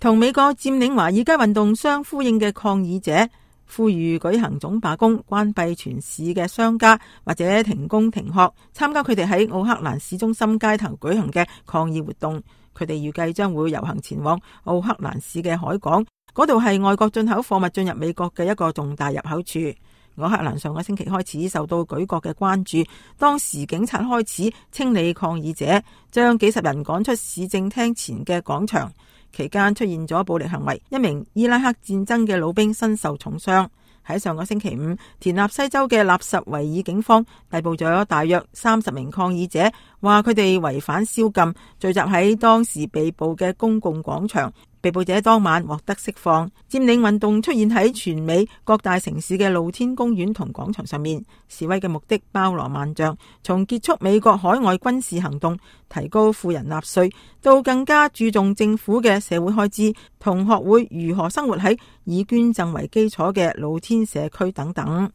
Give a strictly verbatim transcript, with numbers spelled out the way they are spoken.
同美國佔領華爾街運動相呼應嘅抗議者呼籲舉行總罷工，關閉全市嘅商家或者停工停學，參加佢哋喺奧克蘭市中心街頭舉行嘅抗議活動。佢哋預計將會遊行前往奧克蘭市嘅海港，嗰度係外國進口貨物進入美國嘅一個重大入口處。奧克蘭上個星期開始受到舉國嘅關注，當時警察開始清理抗議者，將幾十人趕出市政廳前嘅廣場。期間出現咗暴力行為，一名伊拉克戰爭嘅老兵身受重傷。喺上個星期五，田納西州嘅納什維爾警方逮捕咗大約三十名抗議者，話佢哋違反宵禁，聚集喺當時被捕嘅公共廣場。被捕者當晚獲得釋放。佔領運動出現喺全美各大城市嘅露天公園同廣場上面，示威嘅目的包羅萬象，從結束美國海外軍事行動、提高富人納稅，到更加注重政府嘅社會開支，同學會如何生活喺以捐贈為基礎嘅露天社區等等。